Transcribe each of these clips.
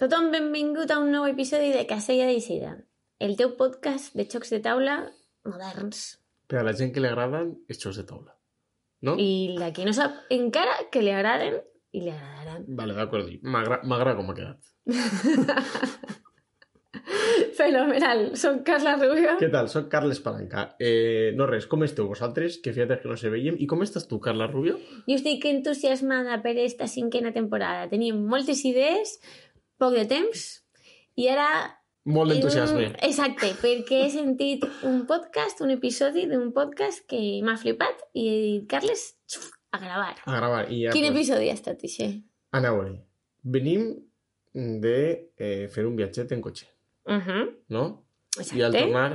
Tothom benvingut a un nou episodi de Casella d'Eixida, el teu podcast de xocs de taula moderns. Per a la gent que li agraden els xocs de taula, no? I la que no sap encara que li agraden i li agradaran. Vale, d'acord. M'agrada com ha quedat. Fenomenal. Soc Carla Rubio. Què tal? Soc Carles Palanca. No res, com esteu vosaltres? Que fíjate que no se veiem. I com estàs tu, Carla Rubio? Jo estic entusiasmada per esta 5a temporada. Tenim moltes idees, poc de temps, i ara... Molt d'entusiasme. Exacte, perquè he sentit un episodi d'un podcast que m'ha flipat i he dit, Carles, a gravar. A gravar. I ja, Quin episodi ha estat, això? Aneu-hi. Venim de fer un viatget en cotxe, no? Exacte. I al tornar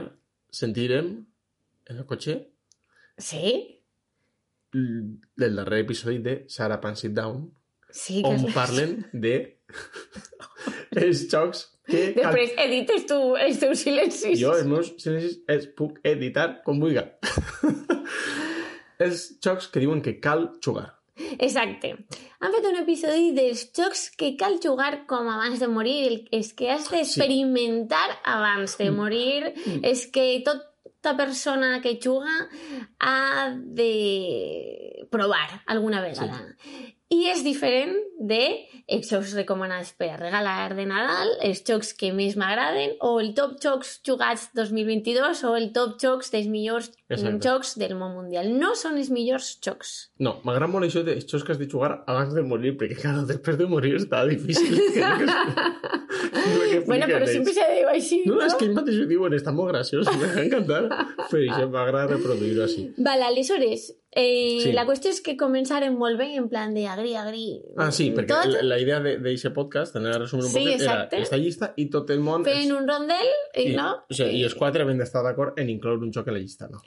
sentirem en el cotxe Sí? del darrer episodi de Sarah Pan Sit Down, Sí, on parlen de els xocs que... Després edites tu els teus silencis. Jo els meus silencis els puc editar com vulgui. Els xocs que diuen que cal jugar. Exacte. Han fet un episodi dels jocs que cal jugar com abans de morir, els que has d'experimentar abans de morir, és que tota persona que juga ha de provar alguna vegada. Sí. I és diferent de els jocs recomanats per a regalar de Nadal, els jocs que més m'agraden, o el top jocs jugats 2022, o el top jocs dels millors jocs del món mundial. No són els millors jocs. No, m'agrada molt això dels jocs que has de jugar abans de morir, perquè, clar, després de morir està difícil. Bueno, però sempre se diu així, no? És que ells mateixos ho diuen, està molt graciós, m'ha encantat. Però això m'agrada reproduir-ho així. Vale, aleshores, la qüestió és que començarem molt bé en plan de agri. Ah, sí, perquè la idea d'aquest podcast, anar a resumir un poquet, era esta llista i tot el món... Fent un rondel i no... O sigui, i els quatre havent d'estar d'acord en incloure un joc a la llista, no?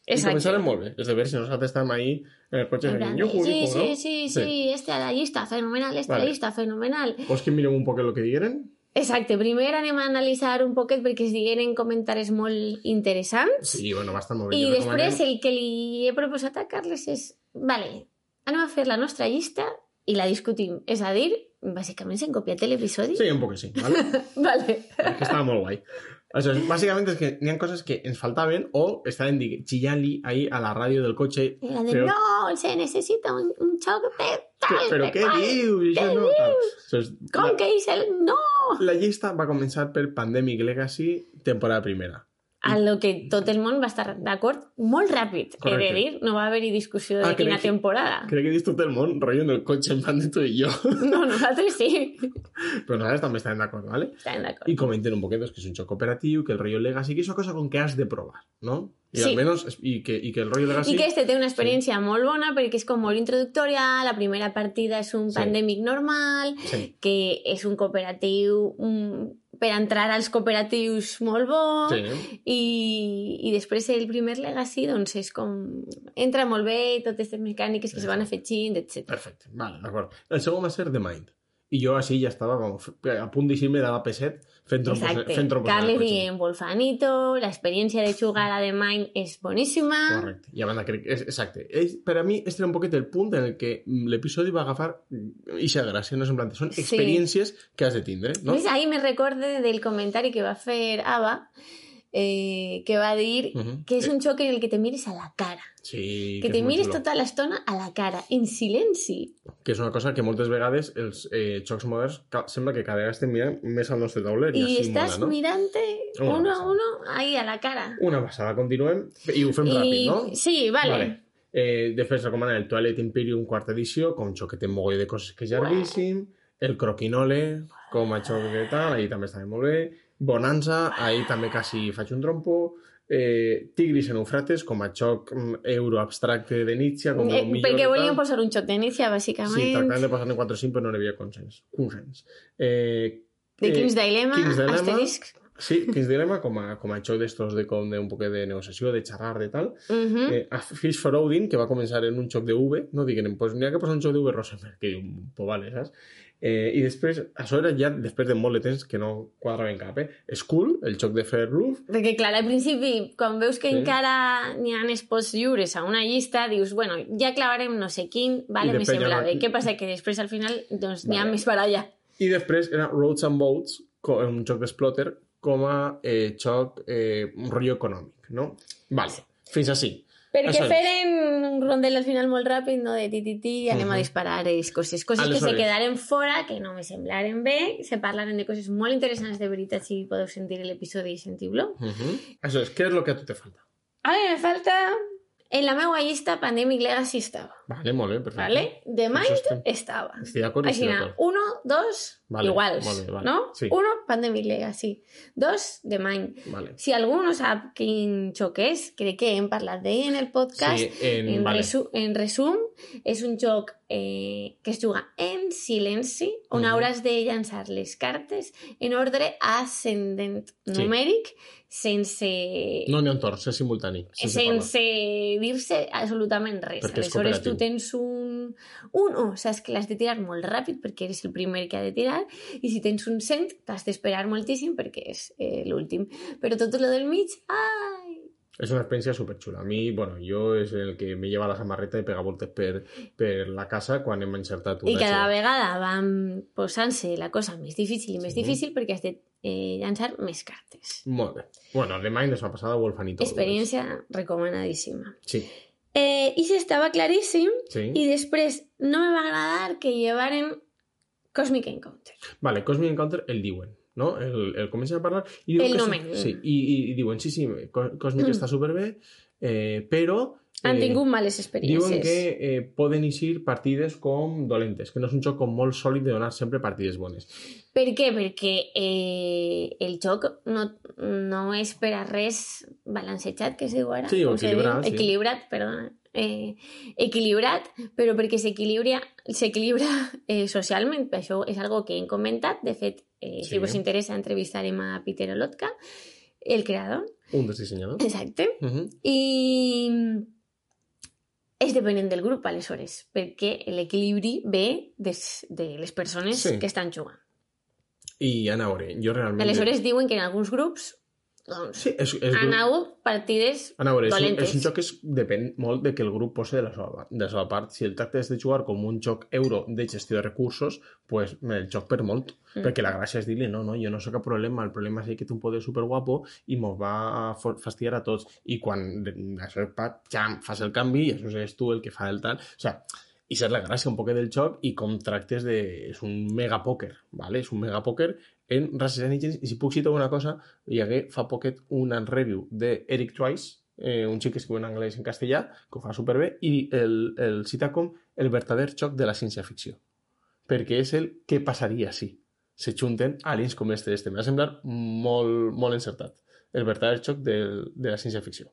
Exacte. I començarem molt bé. És de veure si nosaltres estem ahí en el cotxe fent yuju, sí, este a la llista, fenomenal, a la llista, fenomenal. Vols que mirem un poquet el que digueren? Exacte, primer anem a analitzar un poquet perquè es digueren comentaris molt interessants. Sí, bueno, va estar molt bé. I després el que li he proposat a Carles és, vale, anem a fer la nostra llista i la discutim. És a dir, bàsicament s'han copiat l'episodi. Sí, un poc sí, vale? Vale. Perquè estava molt guai. Això, bàsicament és que n'hi ha coses que ens faltaven o estaven xillant-li ahí a la ràdio del cotxe. I la de, però... no, se necessita un xoc de tal. Però què dius? Què dius? Com que és el... No! La llista va començar per Pandemic Legacy, temporada primera. A lo que tot el món va estar d'acord molt ràpid. Correcte. He de dir, no va haver-hi discussió de quina temporada. Crec que he dit tot el món rotllo en el cotxe en plan de tu i jo. No, nosaltres sí. Però nosaltres també estàvem d'acord, ¿vale? Estàvem d'acord. I comenten un poquet que és un joc cooperatiu, que el rotllo Legacy, que és una cosa con que has de provar, ¿no? I sí. Almenys, i que el rotllo Legacy... I que este té una experiència molt bona perquè és com molt introductòria, la primera partida és un pandèmic normal, que és un cooperatiu... per entrar als cooperatius molt bo i després el primer Legacy doncs és com entra molt bé totes aquestes mecàniques que es van afegint, etc. Perfecte, vale, d'acord. El segon va ser The Mind i jo així ja estava a punt d'eixir-me de la P7 fent trompos. Carles dient Wolfanito, l'experiència de jugar a The Mind és boníssima. Correcte, i a banda crec, exacte. Per a mi este era un poquet el punt en el que l'episodi va agafar ixa gràcia, no és en plan, són experiències que has de tindre, no? Pues ahí me recorde del comentari que va fer Ava, que va dir que és un xoc en el que te mires a la cara. Sí, que te mires tota l'estona a la cara, en silenci. Que és una cosa que moltes vegades els jocs moderns sembla que cada vegada estem mirant més al nostre tauler. I estàs mirant-te uno a uno ahí a la cara. Una passada, continuem. I ho fem ràpid, no? Sí, vale. Després recomanen el Twilight Imperium quarta edició, com un xoc que té un mogoll de coses que és llarguíssim. El Croquinole, com a xoc que tal, ahí també està molt bé. Bonanza, ahí també quasi faig un trompo. Tigris en Eufrates, com a xoc euroabstracte de Nietzsche. Perquè volíem posar un xoc de Nietzsche, bàsicament. Sí, tractant de posar-ne 4 o 5, però no hi havia consens. The King's Dilemma, asterisc. Sí, King's Dilemma, com a xoc d'estos un poc de negociació, de xerrar, de tal. A Fish for Odin, que va començar en un xoc de V, no diguen, pues n'hi ha que posar un xoc de V Rosenberg, que diu, pues vale, saps? I després, això era ja després de molt de temps que no quadraven cap, Skull, el xoc de fer roof. Perquè, clar, al principi, quan veus que encara n'hi ha espots lliures a una llista, dius, bueno, ja clavarem no sé quin, vale, me sembla bé. Què passa? Que després, al final, doncs, n'hi ha més baralla. I després era Roads and Boats, un joc d'Exploter, com a joc, un rotllo econòmic, no? Vale, fins així. Perquè feren un rondel al final molt ràpid, no? De ti, anem a disparar coses que se quedaren fora, que no me semblaren bé, se parlaren de coses molt interessants de veritat, si podeu sentir l'episodi i sentiu-lo. Això és, què és el que a tu te falta? A mi me falta... En la meva llista Pandemic Legacy estava. Vale, molt bé, perfecte. Vale? The Mind estava. Estic d'acord, estic d'acord. 1, 2, vale, iguals, vale. no? Sí. 1, Pandemic Legacy. 2, The Mind. Vale. Si algú no sap quin joc és, crec que hem parlat d'ell en el podcast. Sí, en resum, és un joc que es juga en silenci, on hauràs de llançar les cartes en ordre ascendent numèric, sense... No n'hi ha un torn, és simultani. Sense dir-se absolutament res. Perquè aleshores tu tens un 1, saps que l'has de tirar molt ràpid perquè eres el primer que ha de tirar, i si tens un 100 t'has d'esperar moltíssim perquè és l'últim. Però tot lo del mig, ai... És una experiència superxula. A mi, bueno, jo és el que me lleva la samarreta i pega voltes per la casa quan hem encertat una. I cada vegada van posant-se la cosa més difícil i més difícil perquè has de llançar més cartes. Molt bé. Bueno, de Mind és una passada, Wolfanito. Experiència recomanadíssima. Sí. I s'estava claríssim, sí. I després no me va agradar que llevaren Cosmic Encounter. Vale, Cosmic Encounter el diuen, no? El comencen a parlar i diuen el nomen. Sí, i diuen, sí, Cosmic està superbé, però... Han tingut males experiències. Diuen que poden eixir partides com dolentes, que no és un joc com molt sòlid de donar sempre partides bones. Per què? Perquè el joc no és per a res balancejat, que es diu ara. Sí, o equilibrat. Sí. Equilibrat, perdona. Equilibrat, però perquè s'equilibra socialment. Això és algo que hem comentat. De fet, si us interessa, entrevistarem a Peter Olotka, el creador. Un dels dissenyadors. Exacte. I... és depenent del grup, aleshores, perquè l'equilibri ve de les persones que estan jugant. I a veure, jo realment... Aleshores diuen que en alguns grups doncs, han hagut partides dolentes. És un joc que depèn molt de que el grup posi de la seva part. Si el tracte és de jugar com un joc euro de gestió de recursos, pues el joc per molt. Perquè la gràcia és dir-li, no, jo no sé cap problema, el problema és que té un poder superguapo i mos va a fastidiar a tots. I quan això és pat, jam, fas el canvi i això és tu el que fa el tal. O sea, i és la gràcia un poquet del joc i com tractes de... És un megapòquer, ¿vale? És un megapòquer en Races and Legends. I si puc citar una cosa, hi hagué fa poquet una review d'Eric Twice, un xic que escriu en anglès i en castellà, que ho fa superbé, i el cita com el verdader joc de la ciència-ficció. Perquè és el que passaria si se junten aliens com este. M'ha semblat molt, molt encertat. El verdader joc de la ciència-ficció.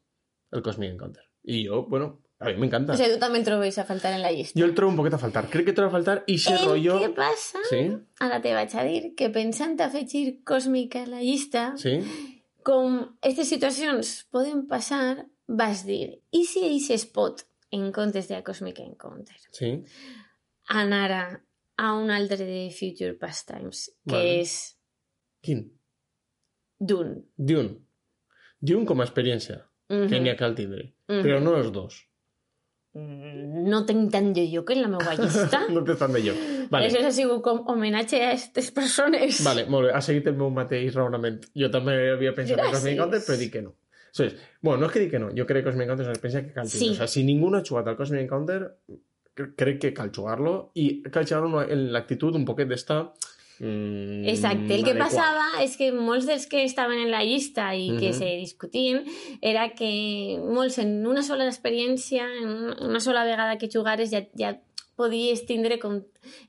El Cosmic Encounter. I jo, bueno... A mi m'encanta. O sigui, tu també el trobes a faltar en la llista. Jo el trobo un poquet a faltar. Crec que trobo a faltar i ese rotllo... Què passa? Sí? Ara te vaig a dir que pensant afegir Cosmic a la llista, sí? Com aquestes situacions poden passar, vas dir, i si ells es pot, en comptes de Cosmic Encounter, sí? anar a un altre de Future Pastimes, que és... Quin? Dune. Dune com a experiència, que n'hi ha cal tindre, però no els dos. No tinc tant de lloc en la meva llista. No té tant de lloc. Vale. Això ha sigut com homenatge a aquestes persones. Vale, molt bé. Ha seguit el meu mateix raonament. Jo també havia pensat en Cosmic Encounter, però dic que no. Bueno, no és que dic que no. Jo crec que Cosmic Encounter és una experiència que cal tindre. O sea, si ningú no ha jugat al Cosmic Encounter, crec que cal jugar-lo i cal jugar-lo en l'actitud un poquet d'estar... Exacte, el que passava és que molts dels que estaven en la llista i que se discutien era que molts en una sola experiència, en una sola vegada que jugares ja podies tindre com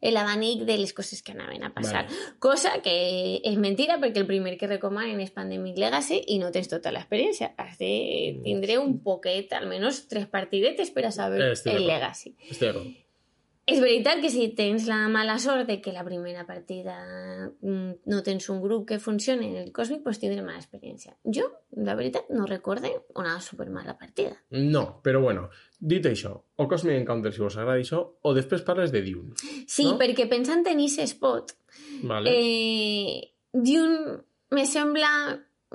l'abanic de les coses que anaven a passar. Cosa que és mentira perquè el primer que recomanen és Pandemic Legacy i no tens tota l'experiència. Has de tindre un poquet, almenys 3 partidetes per a saber el Legacy. Estic d'acord. És veritat que si tens la mala sort de que la primera partida no tens un grup que funcioni en el Cosmic, doncs tindré mala experiència. Jo, la veritat, no recorde una supermala partida. No, però bueno, dit això, o Cosmic Encounter si vos agrada això, o després parles de Dune. Sí, no? Perquè pensant en aquest spot, vale. Dune me sembla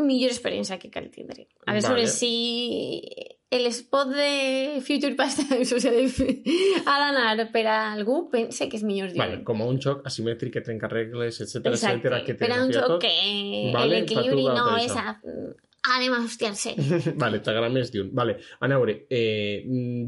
millor experiència que cal tindre. Aleshores, sí... el spot de Future Past Tense, o sigui, ha d'anar per a algú, pense que és millor Dune. Vale, com a un joc asimètric que trenca regles, etcètera, etcètera, que per a un joc tot. que Vale, l'equilibri fa tu no va és... Anem a hostiar-se. Vale, t'agrada més Dune. Vale, a veure,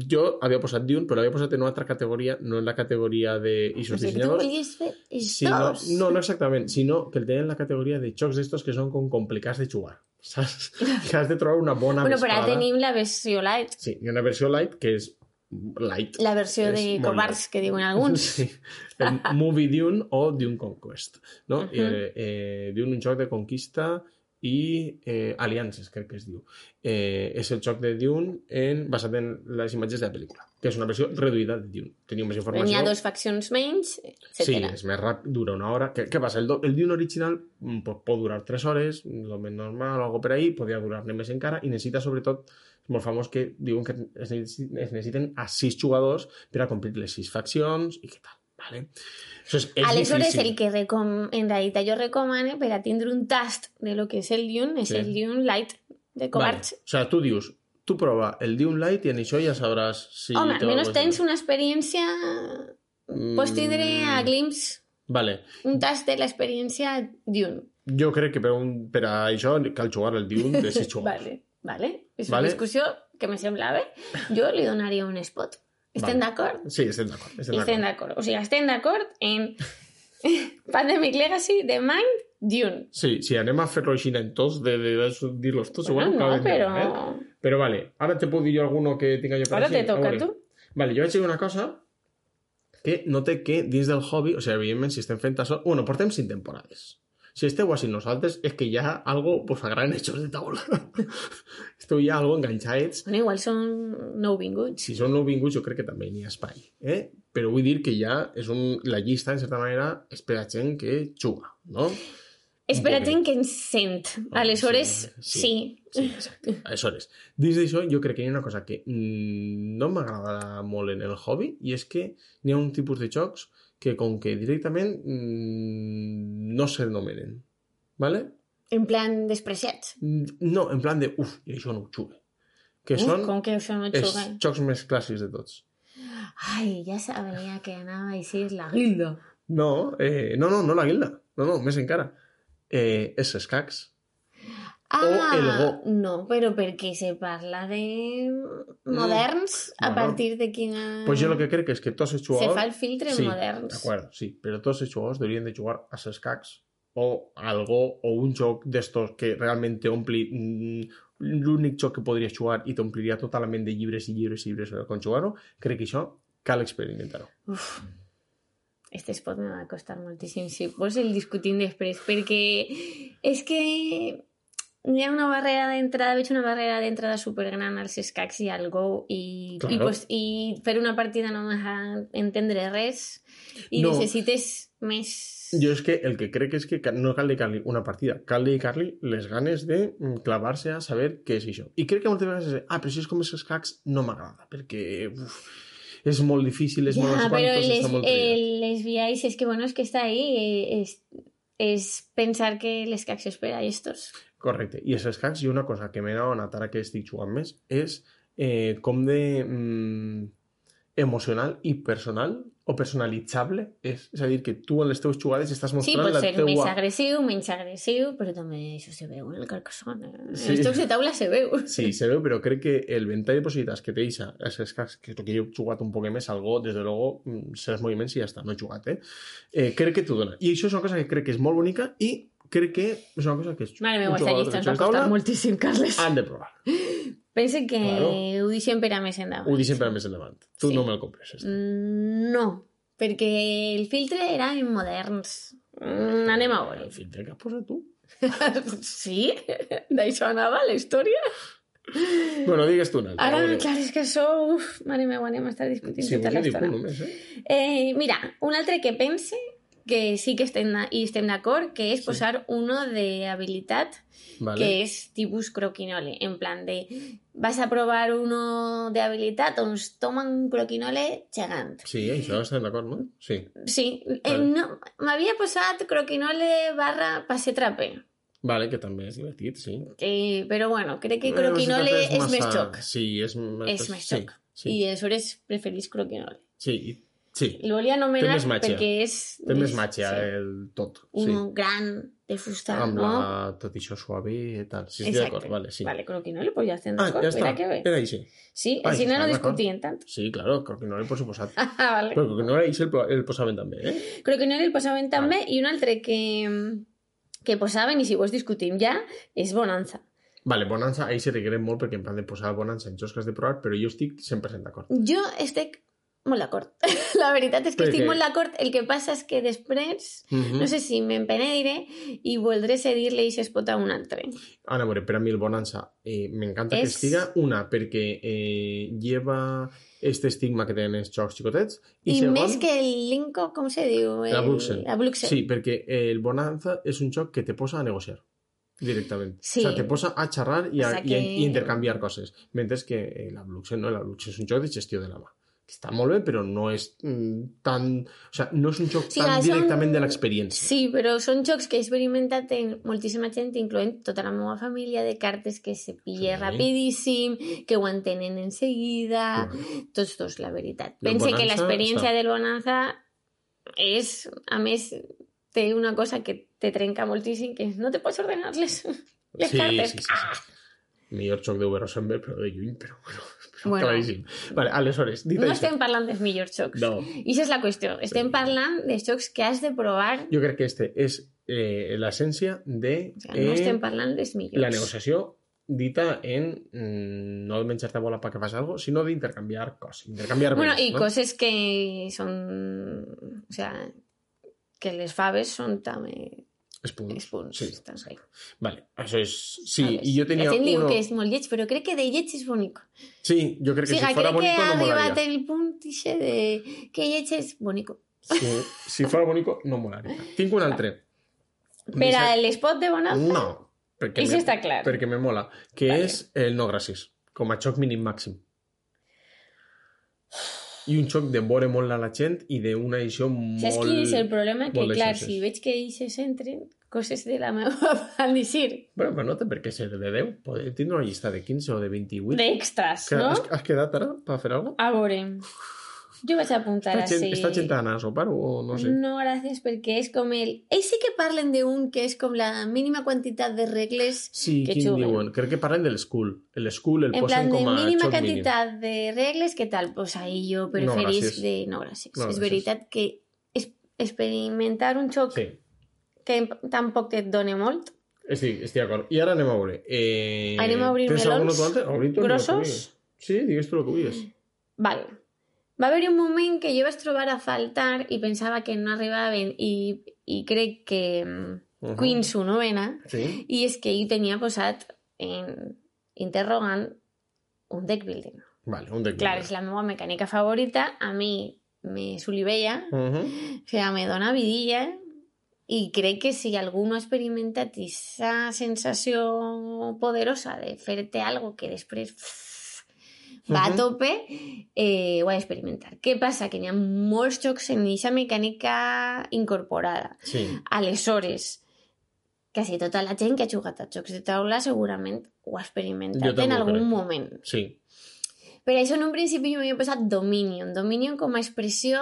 jo havia posat Dune, però l'havia posat en una altra categoria, no en la categoria d'eixos dissenyadors. Tu volies fer estos? No exactament, sinó que el tenen en la categoria de jocs d'estos que són com complicats de jugar, saps? Que has de trobar una bona bueno, mesclada. però ara tenim la versió light. Sí, hi ha una versió light que és light. La versió de covards, que diuen alguns. Sí, el Movie Dune o Dune Conquest, no? Dune, un joc de conquista i aliances, crec que es diu. És el joc de Dune basat en les imatges de la pel·lícula, que és una versió reduïda de Dune. Teniu més informació. N'hi ha 2 faccions menys, etc. Sí, és més ràpid, dura 1 hora. Què passa? El Dune original pot durar 3 hores, lo més normal, o algo per ahí, podria durar-ne més encara, i necessita, sobretot, és molt famós que diuen que es necessiten a 6 jugadors per a complir les 6 faccions i què tal. Vale? Aleshores, el que en realitat jo recomano per a tindre un tast de lo que és el Dune és el Dune Light de covards. Vale. O sea, tu dius, tu prova el Dune Light i en això ja sabràs si... Home, almenys tens una experiència... Pots tindre a glimpse un tast de l'experiència Dune. Jo crec que per a això cal jugar el Dune de 6 jugadors. Vale. És una discussió que me semblava. Jo li donaria un spot. Estem d'acord? Sí, estem d'acord. O sigui, estem d'acord en Pandemic Legacy, The Mind, Dune. Sí, si anem a fer-lo així en tots, de dir-los tots, bueno, no, però... Però vale, ara te puc dir jo alguno que tinga jo per ara te toca tu. Vale, jo vaig dir una cosa que note que dins del hobby, o sigui, evidentment, si estem fent això... Bueno, portem 5 temporades. Si esteu així nosaltres, és que ja algo pues agraden hechos de taula. Esteu ja algo enganxats. Bueno, igual són nouvinguts. Si són nouvinguts, jo crec que també n'hi ha espai. Però vull dir que ja és la llista, en certa manera, és per a gent que juga, no? És per a gent que ens sent. Aleshores, sí. Exacte. Aleshores, dins d'això, jo crec que hi ha una cosa que no m'agrada molt en el hobby, i és que n'hi ha un tipus de jocs que com que directament no s'anomenen, ¿vale? En plan despreciats? No, en plan de, i això no ho jugue. Que són com que això no ho jugue? Els jocs més clàssics de tots. Ai, ja sabia que anava a dir la guilda. No la guilda. No, més encara. És escacs. O el Go. No, però perquè se parla de moderns a partir de quina... Pues jo el que crec és que tots els jugadors... Se fa el filtre en moderns. D'acord, sí, però tots els jugadors haurien de jugar a escacs o algo, o un joc d'estos que realment t'ompli... L'únic joc que podries jugar i t'ompliria tota la ment de llibres i llibres i llibres quan jugar-ho, crec que això cal experimentar-ho. Este spot me va costar moltíssim si vols el discutim després, perquè és que hi ha una barrera d'entrada, veig una barrera d'entrada supergran als escacs i al Go i fer una partida no m'ha entendre res i necessites més... Jo és que el que crec és que no cal dedicar-li una partida, cal dedicar-li les ganes de clavar-se a saber què és això. I crec que moltes vegades és però si és com els escacs no m'agrada, perquè... és molt difícil, és molt... però les viais és que, bueno, és que està ahí, és pensar que l'escacs és per a estos. Correcte. I els escacs, i una cosa que m'he adonat ara que estic jugant més, és com de emocional i personal o personalitzable és. És a dir, que tu en les teves jugades estàs mostrant la teua... Sí, pot ser més agressiu, menys agressiu, però també això se veu en el Carcassonne. Sí. Els jocs de taula se veu. Sí, se veu, però crec que el ventall de possibilitats que té els escacs, que jo he jugat un poc més, algo, des de luego, sé els moviments i ja està, no he jugat, crec que t'ho dona. I això és una cosa que crec que és molt bonica i crec que és una cosa que és... Mare meva, aquesta llista ens va costar moltíssim, Carles. Han de provar. Pense que ho deixem per a més endavant. Ho deixem per a més endavant. Tu no me'l compres. No, perquè el filtre era en moderns. Anem a veure. El filtre que has posat tu? Sí? D'això anava la història? Bueno, digues tu un altre. Ara, clar, és que això... Mare meva, anem a estar discutint tota l'estona. Només, mira, un altre que pense que sí que estem d'acord, que és posar uno de habilitat, que és tipus croquinole, en plan de vas a provar uno de habilitat, doncs toma un croquinole gegant. Sí, això estem d'acord, no? Sí. Sí, m'havia posat croquinole / passe trape. Vale, que també és divertit, sí. Però bueno, crec que croquinole és més xoc. Sí, és més xoc. Sí. I aleshores preferís croquinole. Sí, sí. El volia anomenar perquè és... Té més màgia el tot. Un gran de fusta, amb no? Tot això suave i tal. Sí, estic d'acord, vale, sí. Vale, croquinole, pues ja estem d'acord. Ja està, era així. Sí, així no discutien tant. Sí, claro, croquinole per suposat. Vale. Però croquinole així el posaven també, Croquinole el posaven també i un altre que posaven, i si vols discutim ja, és Bonanza. Vale, Bonanza, ahí se requerem molt perquè en plan de posar Bonanza en jocs que has de provar, però jo estic 100% d'acord. Jo estic molt d'acord. La veritat és que estic molt d'acord. El que passa és que després, no sé si m'empenediré i voldré cedir-li i si es pot a un altre. Ara, a veure, per a mi el Bonanza m'encanta que estiga, una, perquè lleva este estigma que tenen els jocs xicotets, i segon, més que el Linko, com se diu? La Bruxen. Sí, perquè el Bonanza és un joc que te posa a negociar directament. Sí. O sea, te posa a xerrar i intercanviar coses. Mentre que la Bruxen no, la Bruxen és un joc de gestió de la mà. Està molt bé, però no és tan... O sigui, no és un joc tan directament de l'experiència. Sí, però són jocs que he experimentat en moltíssima gent, incloent tota la meva família, de cartes que se pilla rapidíssim, que ho entenen en seguida, tots dos, la veritat. Pense que l'experiència del Bonanza és, a més, té una cosa que te trenca moltíssim, que no te pots ordenar les cartes. Sí. Millor joc de Rosenberg, però de lluny, però bueno. Claríssim. Vale, aleshores, dit no això... estem parlant dels millors jocs. No. I això és la qüestió. Estem parlant dels jocs que has de provar. Jo crec que este és l'essència de... no estem parlant dels millors. La negociació dita en no de menjar-te bola perquè fas alguna cosa, sinó d'intercanviar coses. Intercanviar bueno, béns, i coses que són... O sea, que les faves són també... Espunts. Sí. Vale, això és... Sí, i jo tenia... La gent diu que és molt lleig, però crec que de lleig és bonic. Sí, jo crec que si fora bonico no molaria. Crec que ha arribat el punt de que lleig és bonico. Sí, si fora bonico no molaria. Tinc un altre. Per a l'espot de Bonanza? No. I si està clar. Perquè me mola. Que és el no gràcies. Com a xoc mínim màxim. I un xoc de veure molt a la gent i d'una edició molt... Saps quin és el problema? Que, clar, si veig que ells s'entren coses de la meva al dir. Però no té per què ser de 10. Podem tindre una llista de 15 o de 28. D'extras, no? Has quedat ara per fer alguna cosa? A veure... Jo vaig apuntar així. Està gent d'anar a sopar o no sé? No, gràcies, perquè és com el... Ells sí que parlen d'un que és com la mínima quantitat de regles sí, que juguen. Diuen? Crec que parlen de l'Skull. L'Skull el posen com a xoc mínim. En plan, de mínima quantitat de regles, què tal? Pues ahí jo preferís de no gràcies. És veritat que experimentar un xoc que tampoc et dona molt. Estic d'acord. I ara anem a veure. Anem a obrir melons grossos? Sí, digues tu el que vulguis. Vale. Va haver un moment que jo vaig trobar a faltar i pensava que no arribaven i crec que Queen su novena i és que ell tenia posat en interrogant un deck building. Vale, un deck building. Clar, és la meva mecànica favorita, a mi me solivella, o sigui, me dona vidilla i crec que si algú no ha experimentat aquesta sensació poderosa de fer-te algo que després... va a tope, ho ha d'experimentar. Què passa? Que n'hi ha molts jocs en aquesta mecànica incorporada. Sí. Aleshores, quasi tota la gent que ha jugat a jocs de taula segurament ho ha experimentat en algun moment. Sí. Per això en un principi jo m'havia posat Dominion. Dominion com a expressió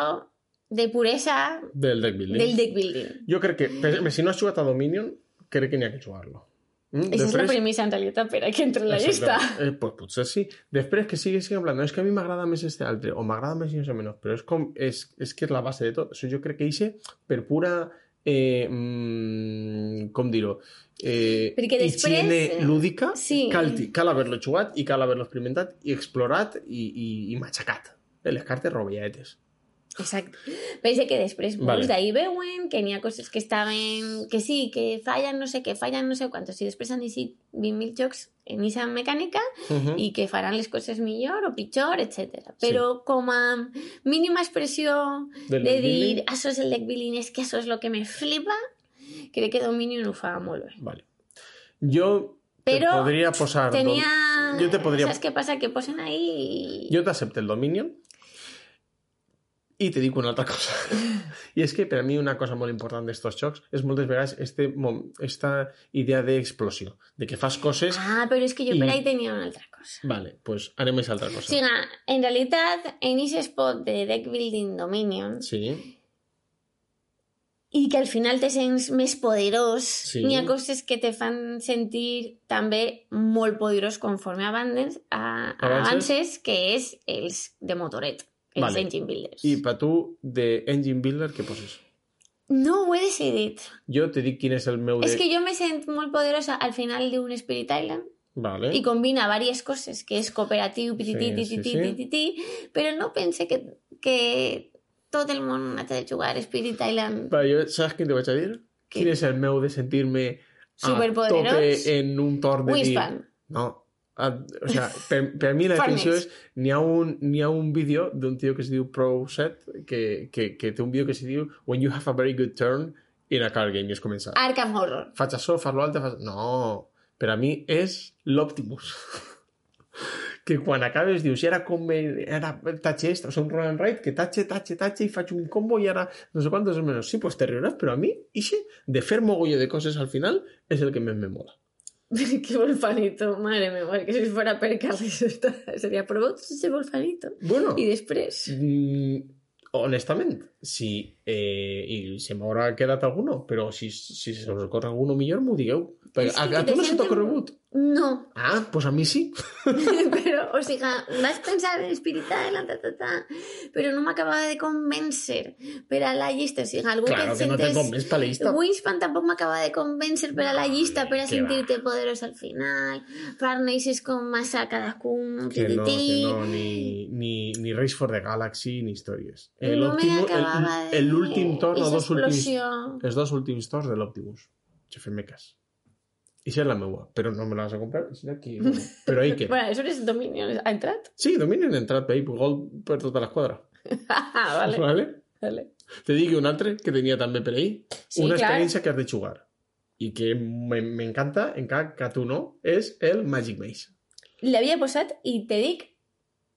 de puresa del deck building. Jo crec que, si no has jugat a Dominion, crec que n'hi ha que jugar-lo. Esa és la premissa en realitat per a que entre en la llista. Pues potser sí. Després que sigues en plan, no, és que a mi m'agrada més este altre, o m'agrada més i no sé menys, però és com, és que és la base de tot. Això jo crec que eixe, per pura, com dir-ho, higiene lúdica, cal haver-lo jugat i cal haver-lo experimentat i explorat i matxacat. Les cartes rovelletes. Exacte. Pensa que després molts d'ahir veuen que n'hi ha coses que estaven... que sí, que fallen no sé què, fallen no sé quantos, i després han decidit 20.000 jocs en aquesta mecànica i que faran les coses millor o pitjor, etc. Però com a mínima expressió de dir això és el deck building, és que això és el que me flipa, crec que Dominion ho fa molt bé. Vale. Jo te podria posar... Jo te podria... Saps què passa? Que posen ahí... Jo t'accepto el Dominion. I te dic una altra cosa. I és que per a mi una cosa molt important d'estos jocs és moltes vegades esta idea d'explosió, de que fas coses... Ah, però és que jo per ahí tenia una altra cosa. Vale, pues harem aquesta altra cosa. O sigui, en realitat, en aquest spot de Deck Building Dominion, Sí. i que al final te sents més poderós, Sí. n'hi ha coses que te fan sentir també molt poderós conforme avances, que és els de motoret, els engine builders. I per tu, de engine builder, què poses? No ho he decidit. Jo te dic quin és el meu... És que jo me sent molt poderosa al final d'un Spirit Island Vale. i combina diverses coses, que és cooperatiu, però no pense que tot el món ha de jugar Spirit Island. Vale, jo, saps què te vaig a dir? Quin és el meu de sentir-me a tope en un torn de Wingspan. dir... No. O sea, per mi la definició és... N'hi ha un vídeo d'un tio que es diu ProSet que té un vídeo que se diu When you have a very good turn in a card game, i es comença. Arkham Horror. Faig això, fas-lo altre, No, per a mi és l'Optimus. Que quan acabes dius, i ara com era tatxe extra, o sigui, un roll and ride, que tatxe, i faig un combo i ara no sé quantos menos. Sí, pues te riuràs, però a mi, ixe, de fer mogolló de coses al final, és el que més me mola. Qué volfanito, madre mía, que si fuera per Carles sería por vos ese volfanito. Bueno. I després? Honestament, si i se m'haurà quedat alguno, però si se us ocorre alguno millor, m'ho digueu. A tu no se t'ha ocorregut? No. Ah, pues a mi sí. Però, o sigui, vas pensar en Spirit Island, però no m'acabava de convèncer per a la llista. O sigui, algú claro que no te convenç per la llista. Wingspan tampoc m'acaba de convèncer per a la llista, per a sentir-te poderós al final. Farneixes com massa cadascun. Que no, ni Race for the Galaxy ni històries. No me acabava de... L'últim torn, els dos últims torns de l'Optimus. Ja fem-me cas. I és la meua, però no me la vas a comprar. Aquí, però ahí queda. Bueno, això és Dominion. Ha entrat? Sí, Dominion ha entrat per ahí, gol per tota l'esquadra. Vale. Te digui un altre que tenia també per ahí. Sí, una experiència que has de jugar. I que m'encanta, encara que a tu no, és el Magic Maze. L'havia posat i te dic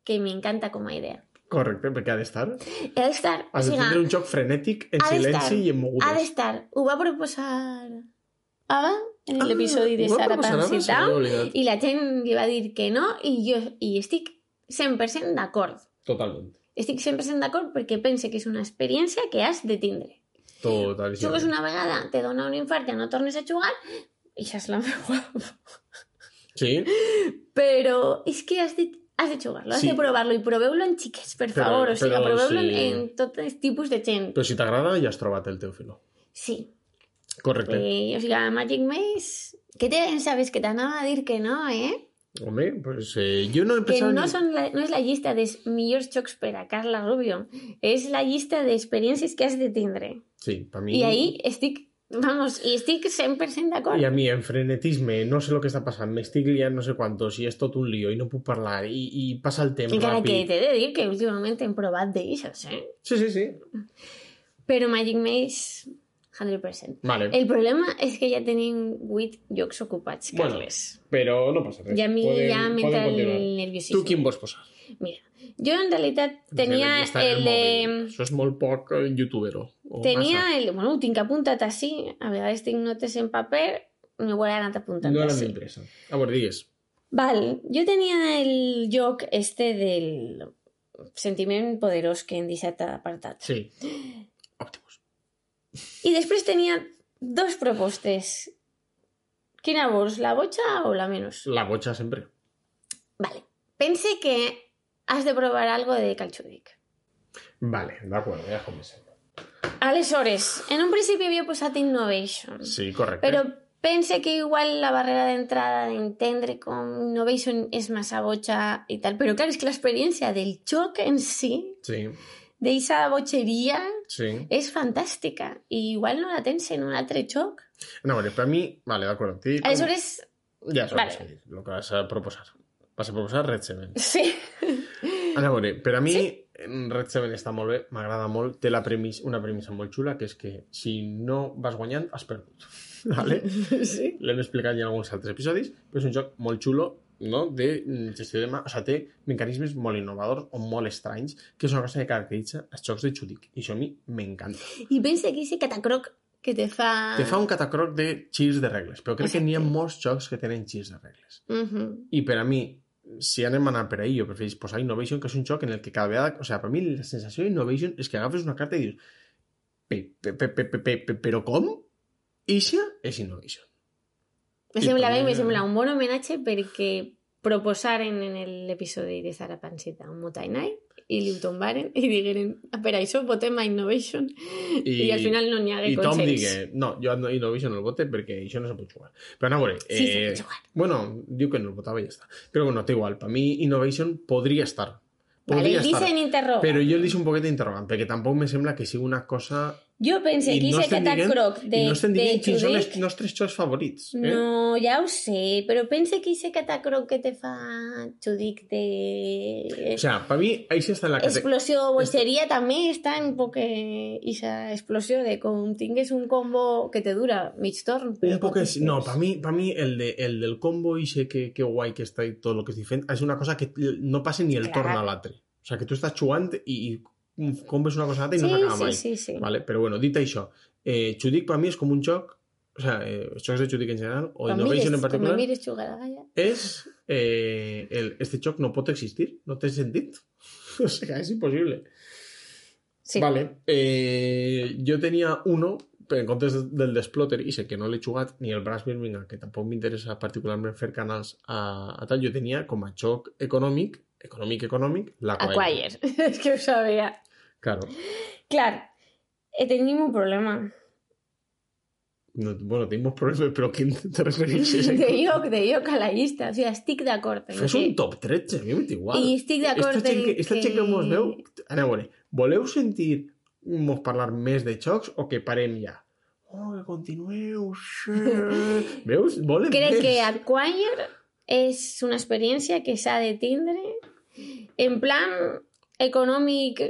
que m'encanta com a idea. Correcte, perquè ha d'estar. Ha d'estar. Has de tindre un joc frenètic, en silenci i en mogudes. Ha d'estar. Ho va proposar Ava en l'episodi de Sara Pancita i la gent li va dir que no i estic 100% d'acord. Totalment. Estic 100% d'acord perquè pense que és una experiència que has de tindre. Totalment. Jugues una vegada, te dona un infart, ja no tornes a jugar i això és la meva. Sí. Però és que has de jugar-lo, has de provar-lo i proveu-lo en xiquets, per favor. O sigui, proveu-lo en tot tipus de gent. Però si t'agrada ja has trobat el teu filó. Sí. Correcte. O sigui, Magic Maze... Què te pensaves? Que t'anava a dir que no, Home, pues jo no he pensat... Que no és la llista dels millors jocs per a Carla Rubio. És la llista d'experiències que has de tindre. Sí, per mi... I ahí estic... Vamos, i estic 100% d'acord. I a mi, en frenetisme, no sé el que està passant, m'estic liant no sé quantos, i és tot un lío, i no puc parlar, i passa el temps encara ràpid. Que t'he de dir que últimament hem provat d'aixòs, Sí. Però Magic Maze... 100%. Vale. El problema és que ja tenim 8 llocs ocupats, Carles. Bueno, però no passa res. I a mi ja m'entra el nerviosisme. Tu quin vols posar? Mira, jo en realitat tenia el de... Això és molt poc youtubero. Tenia el... Bueno, ho tinc apuntat així. A vegades tinc notes en paper, m'ho he anat apuntant no així. No m'interessa. A veure, digues. Val, jo tenia el joc del sentiment poderós que hem deixat apartat. Sí. Optimus. I després tenia 2 propostes. Quina vols, la botxa o la menys? La botxa sempre. Vale. Pense que has de provar algo de Calxúdic. Vale, d'acord, ja comencem. Aleshores, en un principi havia posat Innovation. Sí, correcte. Però pense que igual la barrera d'entrada d'entendre com Innovation és massa botxa i tal. Però clar, és que l'experiència del joc en si... Sí. D'eixa botxeria és fantàstica i igual no la tens en un altre joc. No, a veure, per mi... Vale, d'acord. Aleshores... Ja s'ho vas a dir, el que vas a proposar. Vas a proposar Red 7. Sí. A veure, per a mi Red 7 està molt bé, m'agrada molt, té una premissa molt xula, que és que si no vas guanyant, has perdut. Vale? Sí. L'hem explicat ja en alguns altres episodis, però és un joc molt xulo no? De gestió de mà, o sigui, té mecanismes molt innovadors o molt estranys, que és una cosa que caracteritza els jocs de Chudik, i això a mi m'encanta. I pensa que ese catacroc que te fa... Te fa un catacroc de girs de regles, però crec que n'hi ha molts jocs que tenen girs de regles. I per a mi, si anem a anar per ahí, jo prefereix posar Innovation, que és un joc en el que cada vegada... O sigui, per mi la sensació d'Innovation és que agafes una carta i dius però com? Ixa és Innovation. Me sembla un bon homenatge perquè proposaren en l'episodi de Zara Panceta un Motai Night i li ho tombaren i digueren per això votem a Innovation i al final no n'hi hagué consens. I Tom digui, no, jo a Innovation no el vote perquè això no se pot jugar. Però no, a veure... Sí, se pot jugar. Bueno, diu que no el votava i ja està. Però bueno, té igual, per mi Innovation podria estar. Vale, el dicen interrogant. Però jo el deixo un poquet interrogant, perquè tampoc me sembla que sigui una cosa... Jo pense que ese catacroc de no estem dient quins són els Chudik... nostres jocs favorits. No, ja ho sé, però pense que ese catacroc que te fa Chudik de... O sea, per mi, això està en la explosió o boixeria també està en poc esa explosió de com tingues un combo que te dura mig torn. Un poc és... No, per mi el del combo ixe que guai que està i tot el que és diferent és una cosa que no passa ni el torn a l'altre. O sea, que tu estàs jugant i combes una cosa a l'altra i no s'acaba mai. Sí. Vale? Però bueno, dit això, Chudik per mi és com un joc, o sea, els jocs de Chudik en general, o Innovation en particular, és este joc no pot existir, no té sentit. O sea, és impossible. Sí. Vale. Jo tenia uno, en comptes del Desplotter, i sé que no l'he jugat, ni el Brass Birmingham, que tampoc m'interessa particularment fer canals a tal, jo tenia com a joc econòmic, l'Acquire. És que ho sabia. Claro. Clar, tenim un problema. No, bueno, tenim problemes, però quin te refereixes? De lloc a la llista. O sigui, estic d'acord. Fes un top 13, a mi m'és igual. I estic d'acord Esta gent que mos veu... Aneu a veure, voleu sentir-mos parlar més de jocs o que parem ja? Oh, que continueu, sí. Veus? Volem Crec més. que Acquire és una experiència que s'ha de tindre en plan econòmic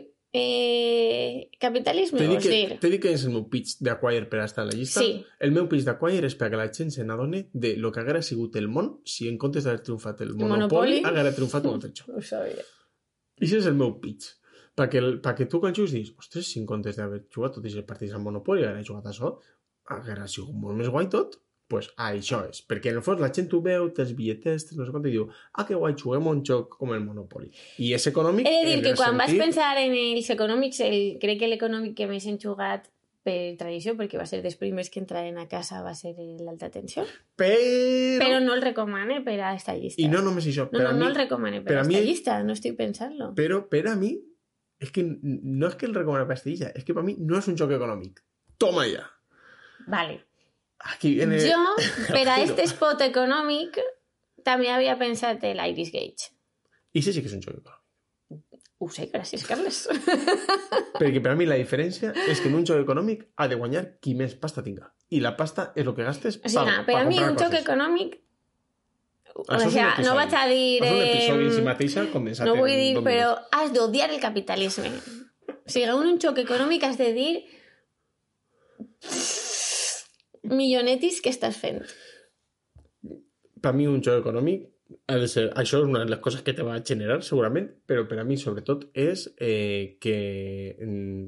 capitalisme, vols dir? T'he dit que és el meu pitch d'Acquire per estar a la llista. Sí. El meu pitch d'Acquire és perquè la gent se n'adoni de lo que haguera sigut el món si en comptes d'haver triomfat el Monopoly haguera triomfat un altre joc. Ho sabia. I això és el meu pitch. Perquè tu quan jugues dius, ostres, si en comptes d'haver jugat tots els partits al Monopoly haguera jugat a això, haguera sigut molt més guai tot. Pues això és, perquè en el fons la gent ho veu, té els bitlletets, no sé quant, i diu, que guai, juguem un joc com el Monopoly. I és econòmic... He de dir que quan vas pensar en els econòmics, crec que l'econòmic que més hem jugat per tradició, perquè va ser dels primers que entraren a casa, va ser l'alta tensió. Però no el recomane per a esta llista. I no només això. No el recomane per a esta llista, no estic pensant-lo. Però per a mi, és que no és que el recomane per a esta llista, és que per a mi no és un joc econòmic. Toma ja! Vale. Aquí viene... Jo, per a este spot econòmic, també havia pensat l'Iris Gage. I sí que és un joc econòmic. Ho sé, gràcies, Carles. Perquè per a mi la diferència és que en un joc econòmic ha de guanyar qui més pasta tinga. I la pasta és el que gastes per comprar coses. Per a mi un joc econòmic... no vaig a dir... És un episodi en si mateixa condensat. No vull dir, però has d'odiar el capitalisme. O sigui, en un joc econòmic has de dir... millonetis que estàs fent. Per mi un joc econòmic ha de ser, això és una de les coses que te va generar segurament, però per a mi sobretot és que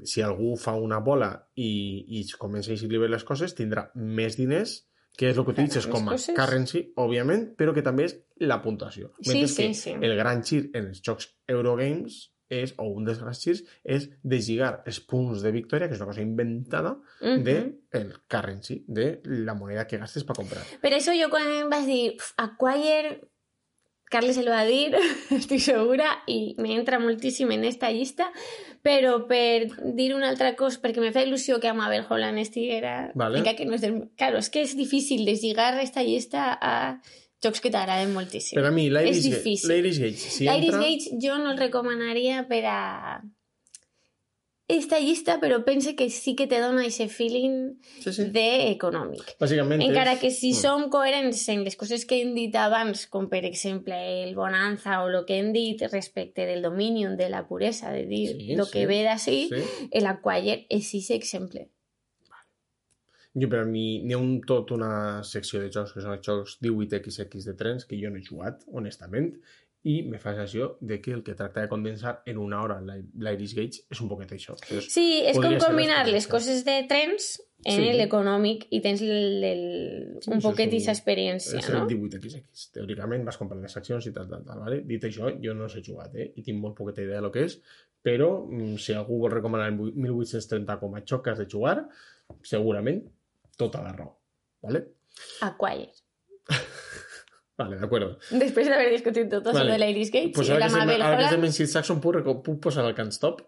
si algú fa una bola i comença a exhibir les coses tindrà més diners, que és el que utilitzes com a currency, òbviament, però que també és la puntuació. Mentre que el gran gir en els jocs Eurogames o un dels grans girs és deslligar els punts de victòria, que és una cosa inventada, del currency, de la moneda que gastes per comprar. Per això jo quan vas dir Acquire, Carles el va dir, estic segura, i m'entra moltíssim en esta llista, però per dir una altra cosa, perquè me fa il·lusió que a Mabel Holland estiguera... Vale. Que no és del... Claro, és que és difícil deslligar esta llista a... jocs que t'agraden moltíssim. Per a mi, l'Iris Gage, si l'Iris entra... Gage jo no el recomanaria per a esta llista, però pense que sí que te dona aquest feeling d'econòmic. Bàsicament encara que si som coherents en les coses que hem dit abans, com per exemple el Bonanza o el que hem dit respecte del Dominion, de la puresa, de dir el que ve d'ací, l'Acquire és aquest exemple. Jo, per a mi, n'hi ha tot una secció de jocs que són els jocs 18xx de trens que jo no he jugat, honestament, i me fa la sensació de que el que tracta de condensar en una hora l'Iris Gate és un poquet això. Entonces, sí, és com podria ser combinar les l'experiència. coses de trens en Sí. l'econòmic i tens un poquet és d'aquesta experiència, és no? el 18xx. Teòricament vas comprar les accions i tal, vale? Dit això, jo no s'he jugat, i tinc molt poqueta idea de lo que és, però si algú vol recomanar el 1830 com a joc que has de jugar, segurament tota la raó, vale? Acquire. Vale, d'acord. Després d'haver discutit tot això Vale. de l'Iris Gate Pues i ara la que estem Mabel en Holland... Sid Saxon puc posar el Can't Stop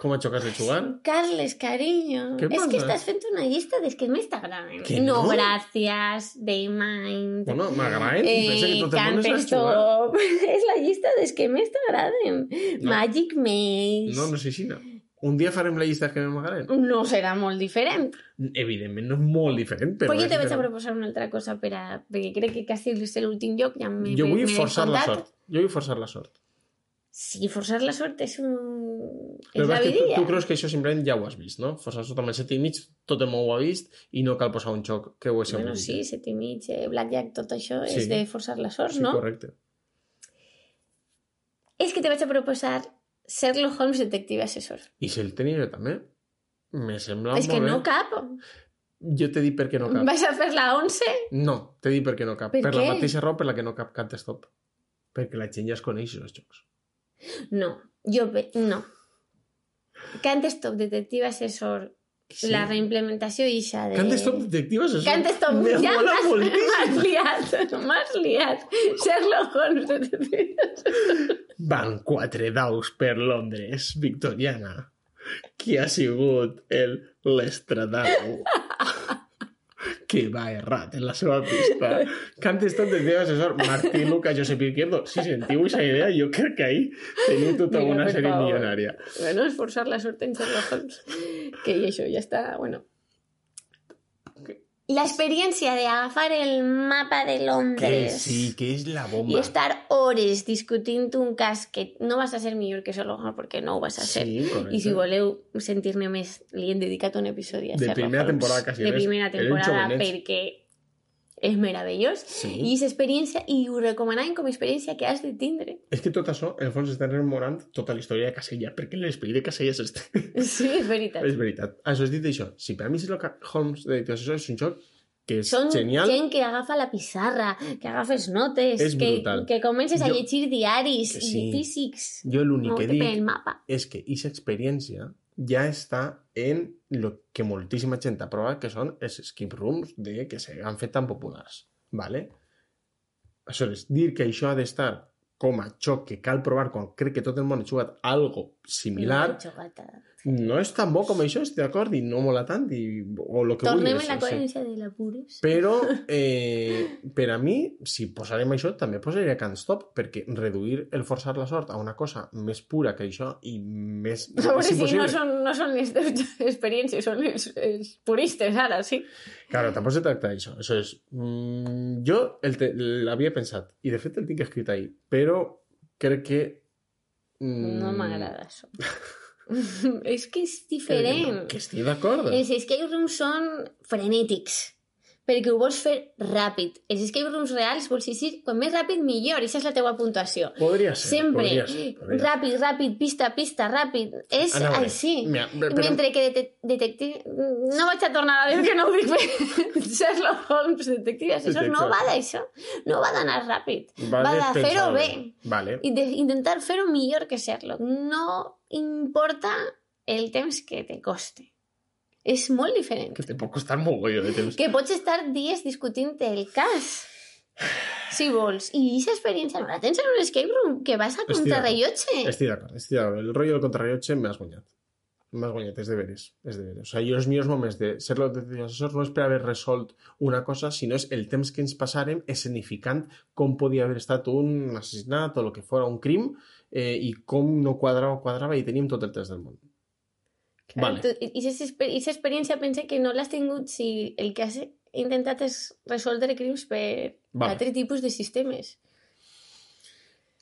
com a joc has de jugar? Carles, cariño, Què és que passa? estàs fent una llista dels que més t'agraden. Que No, no? gràcies, Daymind... Bueno, m'agraden i pensa que tot el món les ha de jugar. Stop. És la llista dels que més t'agraden. No. Magic Maze... No sé si no. Un dia farem la llista que m'agraden. No serà molt diferent. Evidentment no és molt diferent, però... Però jo és te vaig a diferent. proposar una altra cosa perquè crec que quasi és l'últim lloc. Ja Jo vull forçar la sort. Jo vull forçar la sort. Sí, forçar la sort és un... Però és la és que vidilla. tu creus que això simplement ja ho has vist, no? Forçar la sort amb el 7 i mig, tot el món ho ha vist i no cal posar un joc que ho és Bueno, sí, 7 i mig, Blackjack, tot això Sí. és de forçar la sort, Sí, no? correcte. És que te vaig a proposar Sherlock Holmes detective assessor. I si el tenia jo també? Me sembla És que molt no bé. cap. Jo t'he dit per què no cap. Vas a fer la 11? No, t'he dit per què no cap. Per Per què? la mateixa raó per la que no cap Can't Stop. Perquè la gent ja es coneix els jocs. No, no. Can't Stop detective assessor, Sí. la reimplementació ixa de... Can't Stop detectives, això Can't Stop, me ja mola moltíssim. m'has liat. Sherlock Holmes detective assessor. Van 4 daus per Londres, victoriana. Qui ha sigut l'estradau que va errat en la seva pista? Can't Stop detective assessor Martí Luca, Josep Izquierdo. Si sentiu aquesta idea, jo crec que ahí teniu tota Mira, una per sèrie favor. milionària. Bueno, és forçar la sort en Sherlock Holmes. Que i això ja està, bueno. L'experiència d'agafar el mapa de Que Londres sí, que és la i bomba. estar hores discutint un cas que no vas a ser millor que Sherlock Holmes perquè no ho vas a ser. Sí, correcte. I si voleu sentir-ne més, li hem dedicat un episodi a De Sherlock primera Holmes. temporada, quasi De res. primera Eren temporada, jovenets. perquè és meravellós. Sí. I és experiència, i ho recomanem com a experiència que has de tindre. És que tot això, en el fons, està rememorant tota la història de Casella, perquè l'esperit de Casella és este. Sí, és veritat. És veritat. Això has dit això. Si per a mi Sherlock Holmes de Detective és un joc que és Són genial, gent que agafa la pissarra, que agafes notes, És brutal. que comences a Jo- llegir diaris que i sí. físics. jo l'únic que Movent-te pel dic mapa. és que aquesta experiència ja està en lo que moltíssima gent ha provat, que són els escape rooms que s'han fet tan populars. ¿Vale? Aleshores, dir que això ha d'estar com a joc que cal provar quan crec que tot el món ha jugat algo similar, no és tan bo com això, estic d'acord, i no mola tant, o lo que Tornem vulguis. en la sí. coherència de l'apures. Però, per a mi, si posarem això, també posaria Can't Stop, perquè reduir el forçar la sort a una cosa més pura que això i més... A veure és si impossible. no són les teves experiències, són els puristes ara, sí. Claro, tampoc se tracta d'això. Això és... jo l'havia pensat, i de fet el tinc escrit ahí, però crec que... No m'agrada això. És que és diferent. Que estic d'acord. Els escape rooms són frenètics, perquè ho vols fer ràpid. Els escape rooms reals vols dir quan més ràpid millor, i aquesta és la teua puntuació. Podria ser. Sempre, podria ser. ràpid, pista, ràpid. És Anava bé. així. Mira, però- Mentre que detective... No vaig a tornar a dir que no ho dic bé. Sherlock Holmes, detective assessor, no va d'això. No va d'anar ràpid. Va de fer-ho bé. Vale. I d'intentar fer-ho millor que Sherlock. No importa el temps que te coste. És molt diferent. Que te pot costar mogolló de temps. Que pots estar dies discutint el cas, si vols. I aquesta experiència no la tens en un escape room, que vas a contrarrellotge. Estic d'acord. El rotllo del contrarrellotge m'has guanyat. M'has guanyat, és de veres. És de veres. O sigui, jo els millors moments de ser detective assessor no és per haver resolt una cosa, sinó és el temps que ens passàrem escenificant com podia haver estat un assassinat o el que fora un crim i com no quadrava i teníem tot el temps del món. Vale. I aquesta experiència pense que no l'has tingut si el que has intentat és resoldre crims per altre tipus de sistemes.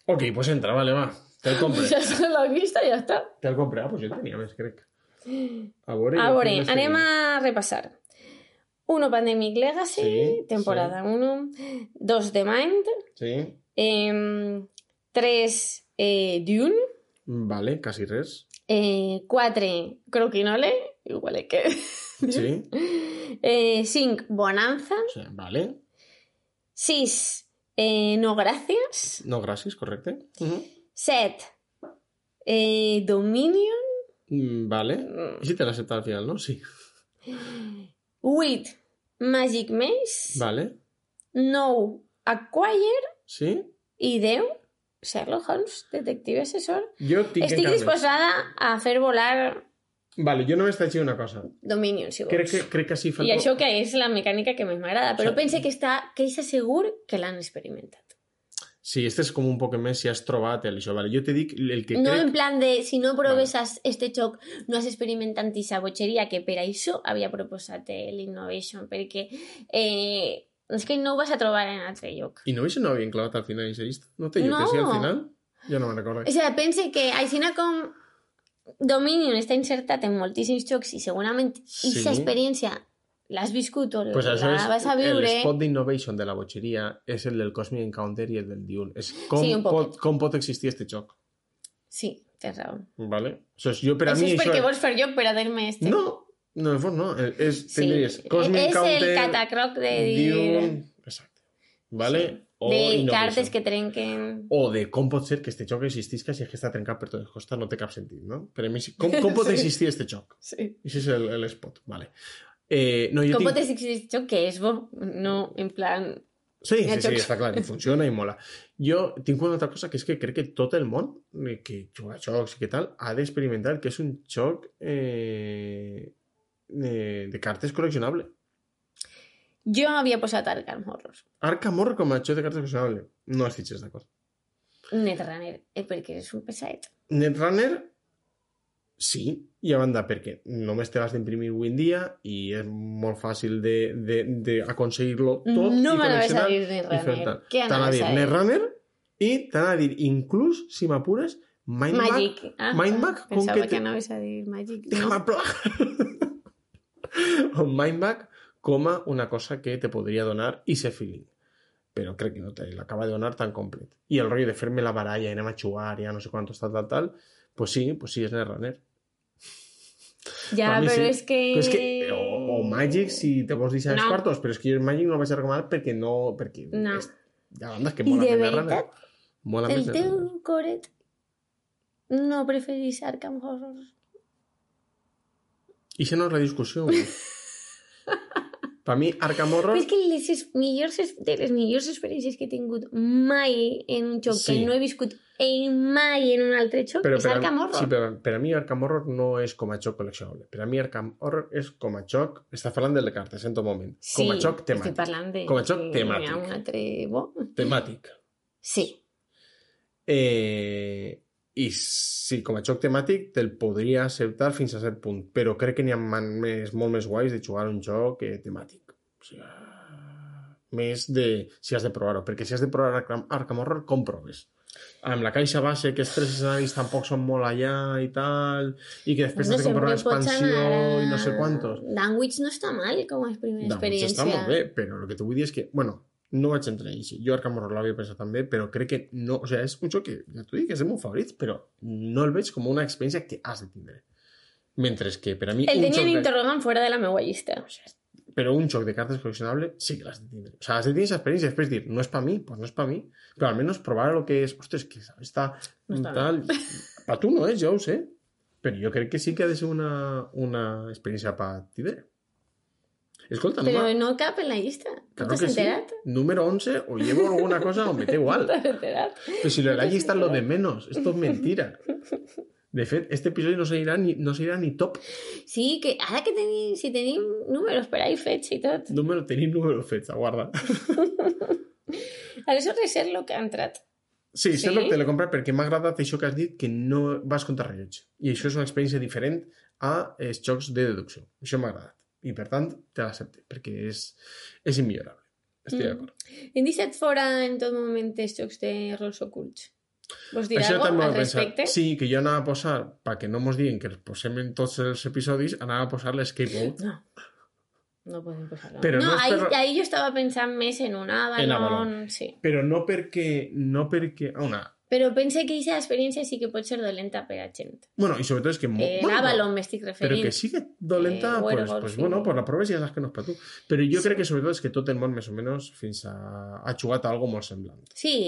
Ok, pues entra, vale, va. Te'l compre. Ja està la vista, ja està. Te'l compre. Ah, pues jo en tenia més, crec. A veure, anem a repassar. 1 Pandemic Legacy, Sí, temporada 1. 2 The Mind. Sí. 3 Dune. Vale, quasi res. 4 Croquinole, igual que... Sí. 5 Bonanza. O sea, vale. 6 No Gracias. No, gràcies, correcte. 7 Dominion. Vale. I si te l'accepta al final, no? Sí. 8 Magic Maze. Vale. 9 Acquire. Sí. I 10 Sherlock Holmes, detective assessor. Jo tinc Estic disposada a fer volar Vale, jo només t'haig de dir una cosa. Dominion, si vols. Crec que sí falta... I això que és la mecànica que més m'agrada, però pense que és segur que l'han experimentat. Sí, este és com un poc més si has trobat això. Vale, jo te dic el que No crec... en plan de, si no proves este xoc, no has experimentat aquesta botxeria, que per això havia proposat l'Innovation, perquè és que no ho vas a trobar en altre lloc. Innovation no havia clavat al final aquesta llista? No té jo que sí al final? Ja no me'n recordo. O sigui, pense que així com Dominion està insertat en moltíssims jocs i segurament aquesta experiència l'has viscut o pues la vas a viure... El spot d'innovation de la botxeria és el del Cosmic Encounter i el del Dune. És com pot existir este joc. Sí, tens raó. Vale? Jo, per a mi, és perquè vols fer joc per a dir-me este. No, en fons no. Tindries Cosmic Encounter... És el catacroc de Dune... Exacte. Vale? Sí. De cartes que trenquen... O de com pot ser que este joc existisca si és que està trencat per totes costes, no té cap sentit, no? Per a mi, com pot existir este joc? Sí. Això és l'espot, vale. Com pot existir este joc que és bo? No, en plan... Sí, està clar, i funciona i mola. Jo tinc una altra cosa, que és que crec que tot el món que juga a jocs i que tal ha d'experimentar que és un joc de cartes col·leccionable. Jo havia posat Arkham Horror. Arkham Horror com a joc de cartes col·leccionable. No estic d'acord. Netrunner, perquè és un pesaet. Netrunner, sí, i a banda perquè només te l'has d'imprimir avui en dia i és molt fàcil d'aconseguir-lo tot. No m'anaves a dir Netrunner. Què anaves a dir? Netrunner i t'anava a dir, inclús, si m'apures, Magic. Mindback. Pensava que anaves a dir Magic. O Mindback com a una cosa que te podria donar ese feeling. Però crec que no te l'acaba de donar tan complet. I el rotllo de fer-me la baralla i anem a jugar ja no sé quantos tal, pues sí, és Netrunner. Ja, però sí. És que... O Magic, si te vols deixar els quartos, però és que jo el Magic no el vaig a recomanar perquè no... Ja bandes que mola més Netrunner. I de veritat, el teu coret no preferís Arkham Horror? I això no és la discussió. Per mi, Arkham Horror... Però és que de les millors experiències que he tingut mai en un joc que no he viscut mai en un altre joc és Arkham Horror. Sí, però per a mi Arkham Horror no és com a joc col·leccionable. Per a mi Arkham Horror és com a joc... Està parlant del de cartes en tot moment. Sí, com a joc temàtic. Estic parlant de... Com a joc temàtic. Un altre bo. Temàtic. Sí. I sí, com a joc temàtic te'l podria acceptar fins a cert punt, però crec que n'hi ha molt més guais de jugar un joc temàtic. O sigui, més de si has de provar-ho, perquè si has de provar Arkham Horror, com proves? Amb la caixa base, que els 3 escenaris tampoc són molt allà i tal, i que després has de comprar una expansió i no sé quantos. Danwich no està mal com a primera experiència. Danwich està molt bé, però el que t'ho vull dir és que, bueno, no vaig entrar així. Jo Arkham Horror l'havia pensat també, però crec que no... O sigui, és un joc que, ja t'ho dic, és de meus favorits, però no el veig com una experiència que has de tindre. Mentre que per a mi... El tenien interrogant fora de la meva llista. Però un joc de cartes col·leccionable sí que l'has de tindre. O sigui, has de tenir aquesta experiència i després dir, no és per mi, doncs no és per mi. Però almenys provar el que és... Ostres, que està tal... Per tu no és, jo ho sé. Però jo crec que sí que ha de ser una experiència per tindre. Escolta, però no cap en la llista. Claro ¿No t'has enterat? Sí. Número 11, o llevo alguna cosa o me da igual. ¿No t'has enterat? Pero si lo de la llista es lo de menos. Esto es mentira. De fet, este episodio no seguirà ni top. Sí, que ara que si tenim números per ahí fets i tot. Tenim números fets, aguarda. Aleshores, Sherlock ha entrat. Sí, Sherlock te l'he comprat perquè m'ha agradat això que has dit, que no vas contra rellotge. I això és una experiència diferent a els jocs de deducció. Això m'ha agradat. I per tant te l'accepte, perquè és immillorable. Estic d'acord. Hem deixat fora en tot moment els jocs de rols ocults. Vols dir alguna cosa al respecte? Sí, que jo anava a posar, perquè no mos diguen que els posem en tots els episodis, anava a posar l'Escape Route. No. No podem posar-lo. Però no és per... ahí jo estava pensant més en un Avalon, sí. Però no perquè... Però pense que aquesta experiència sí que pot ser dolenta per a gent. Bueno, i sobretot és que... L'Avalon m'estic referint. Però que sigui dolenta, pues bueno, por la prova ja saps que no és per tu. Però jo crec que sobretot és que tot el món, més o menys, fins ha jugat a algo molt semblant. Sí.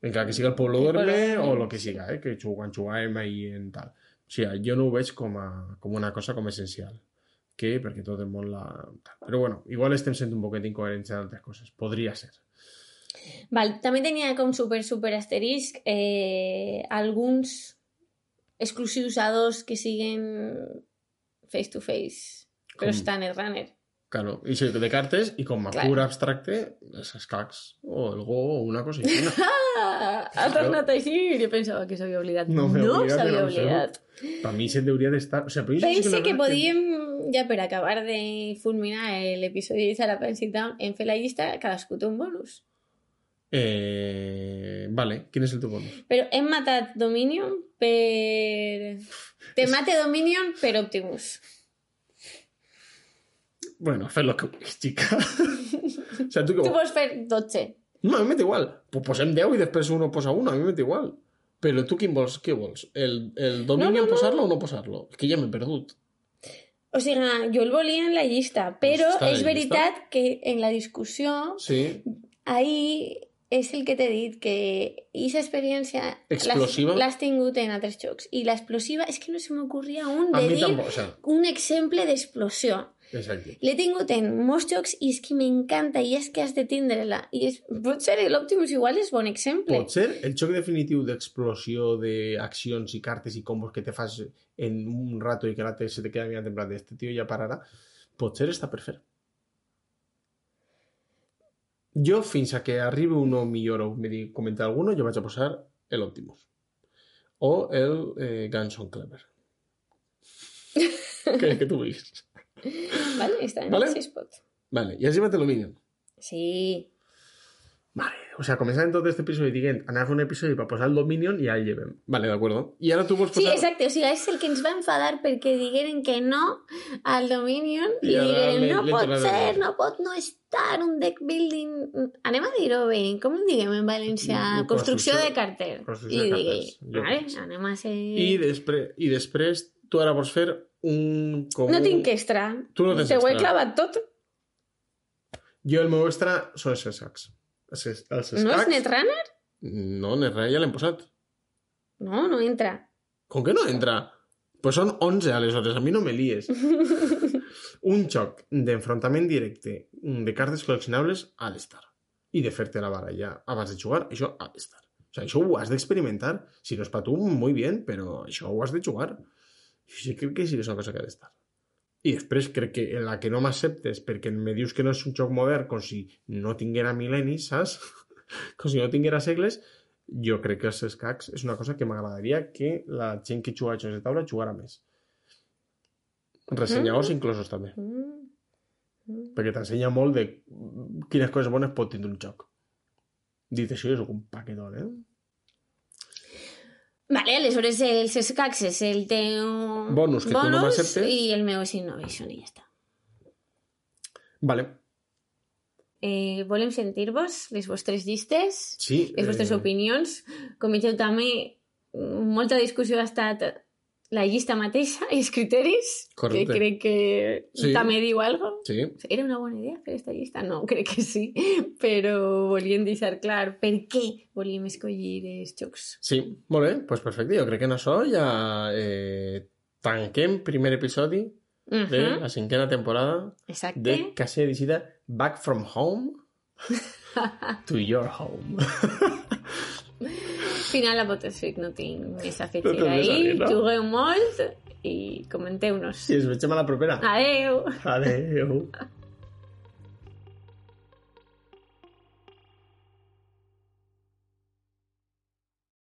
Encara que siga el Pueblo Duerme o el que siga, que jugàvem ahir en tal. O sigui, jo no ho veig com una cosa com essencial. Perquè tot el món la... Però bueno, igual estem sent un poquet incoherents en altres coses. Podria ser. Val, també tenia com super asterisc alguns exclusius a 2 que siguen face to face, però estan el runner. Claro, i de cartes i com a pur abstracte els escacs o el Go o una cosa així. Ha tornat així i jo pensava que s'havia oblidat. No s'havia oblidat. Per mi se'n hauria d'estar... O sigui, pense que podíem, ja per acabar de fulminar l'episodi de Sarah Pencil Down, en fer la llista, cadascú té un bonus. Vale, quin és el teu bonus? Però hem matat Dominion per... Te mate Dominion per Optimus. Bueno, fes lo que vulguis, xica. O sea, tu pots fer 12. No, a mi m'és igual. Pues posem 10 i després uno posa 1, a mi m'és igual. Però tu quin vols? Què vols? El Dominion posar-lo o no posar-lo? És que ja m'he perdut. O sigui, jo el volia en la llista, però és veritat que en la discussió ahí és el que t'he dit, que aquesta experiència l'has tingut en altres jocs. I l'explosiva és que no se m'ocorria un exemple d'explosió. Exacte. L'he tingut en molts jocs i és que m'encanta i és que has de tindre-la. I potser l'Optimus igual és bon exemple. Potser el joc definitiu d'explosió d'accions i cartes i combos que te fas en un rato i que l'altre se te queda mirant en plan este tio ja pararà, potser està per fer. Jo, fins a que arribi uno millor o me digui comentar alguno, jo vaig a posar l'Optimus. O el Ganson Clever. que tu vulguis. Vale, està en el 6 pot. Vale, i has llevat el Dominion? Sí. Vale, o sea, començant tot este episodi dient, anar a fer un episodi per posar el Dominion i ja el llevem. Vale, d'acord. I ara tu vols posar... Sí, exacte, o sigui, és el que ens va enfadar perquè digueren que no al Dominion i digueren, no pot ser, no pot no estar un deck building... Anem a dir-ho bé, com ho diguem en valencià? Construcció de carter. Construcció de carters. Vale, anem a ser... I després tu ara vols fer un... No tinc extra. Tu no tens extra. Te ho he extra. clavat tot. Jo el meu extra són els escacs. No és Netrunner? No, Netrunner ja l'hem posat. No, no entra. Com que no entra? Pues són 11 aleshores, a mi no me lies. Un joc d'enfrontament directe de cartes col·leccionables ha d'estar. I de fer-te la baralla abans de jugar, això ha d'estar. O sigui, això ho has d'experimentar. Si no és per tu, muy bien, però això ho has de jugar. Jo crec que sí que és una cosa que ha d'estar. I després crec que en la que no m'acceptes perquè me dius que no és un joc modern com si no tinguera mil·lennis, saps? Com si no tinguera segles, jo crec que els escacs és una cosa que m'agradaria que la gent que juga a jocs de taula jugara més. Ressenyadors inclosos també. Perquè t'ensenya molt de quines coses bones pot tindre un joc. Dit això, és un paquetón, Vale, aleshores els escacs és el teu bonus que tu no m'acceptes i el meu és Innovation i ja està. Vale. Volem sentir-vos, les vostres llistes, les vostres opinions. Com veieu també, molta discussió ha estat la llista mateixa i els criteris, correcte. Que crec que també diu alguna cosa. Sí. Era una bona idea fer aquesta llista? No, crec que sí, però volíem deixar clar per què volíem escollir els jocs. Sí, molt bé, doncs perfecte. Jo crec que en això ja tanquem primer episodi de la 5ª temporada de Casella Visita Back from Home to Your Home. Final a Potterfic no tinc més a afegir ahir. Jugueu molt i comenteu-nos. I ens veiem a la propera. Adeu. Adeu.